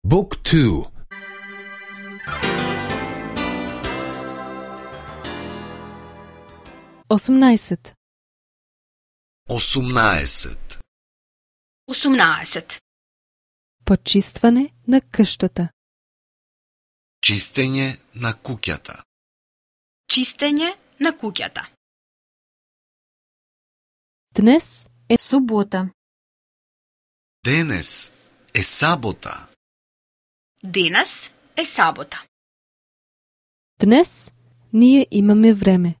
Book 2. 18. 18. Почистване на къщата. Чистење на куќата. Чистење на куќата. Днес е субота. Денес е сабота. Денес е сабота. Днес ние имаме време.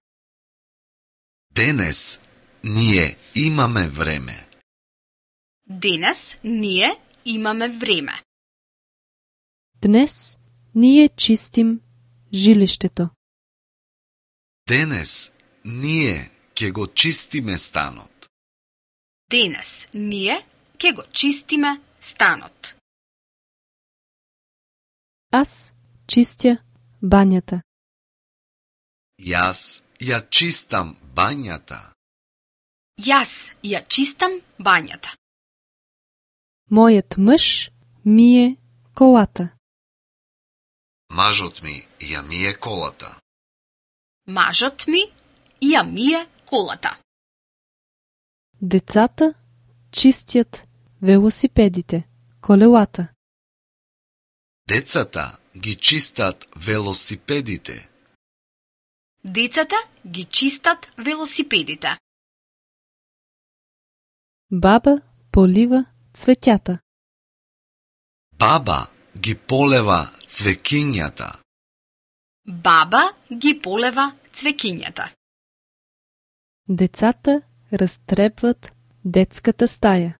Денес ние имаме време. Денес ние имаме време. Днес ние чистим жилиштето. Денес ние ќе го чистиме станот. Денес ние ќе го чистиме станот. Аз чистя банята. Јас ја чистам бањата. Јас ја чистам бањата. Мојот мъж мие колата. Мажот ми ја мие колата. Мажот ми ја мие колата. Децата чистят велосипедите, колелата. Децата ги чистат велосипедите. Децата ги чистат велосипедите. Баба полива цветята. Баба ги полева цвекињата. Баба ги полева цвекињата. Децата разтребват детската стая.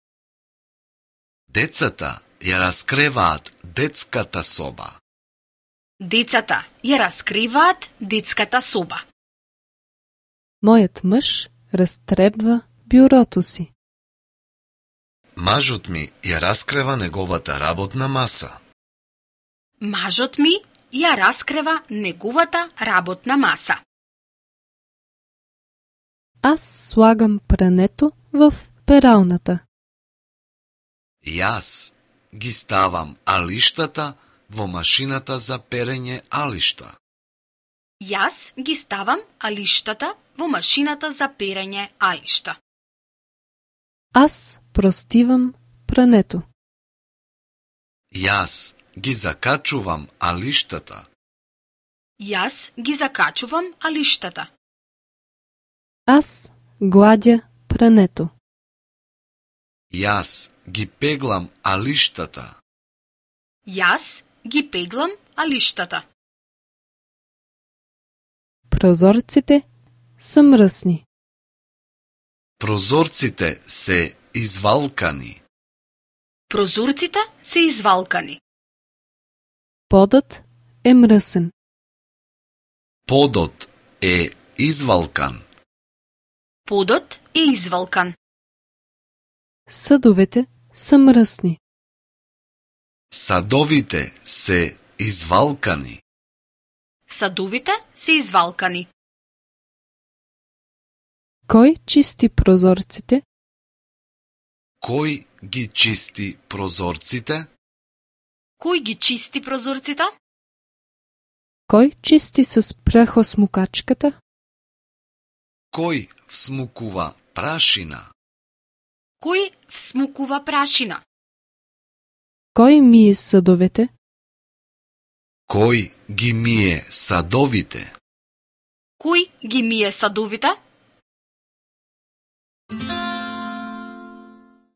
Децата ја раскреваат детската соба. Децата ја раскриваат детската соба. Мојот мъж разтребва бюрото си. Мажот ми ја раскрева неговата работна маса. Мажот ми ја раскрева неговата работна маса. Аз слагам прането в пералната. Јас ги ставам алиштата во машината за перење алишта. Јас ги ставам алиштата во машината за перење алишта. Аз простивам прането. Јас ги закачувам алиштата. Јас ги закачувам алиштата. Аз гладя прането. Јас ги пеглам алиштата. Јас ги пеглам алиштата. Прозорците са мръсни. Прозорците се извалкани. Прозорците се извалкани. Подът е мръсен. Подот е извалкан. Подот е извалкан. Съдовете са мръсни. Садовите се извалкани. Садовите се извалкани. Кой чисти прозорците? Кој ги чисти прозорците? Кој ги чисти прозорците? Кой чисти с прахосмукачката? Кој всмукува прашина? Кој всмукува прашина? Кой мие съдовете? Кој ги мие садовите? Кој ги мие садовите?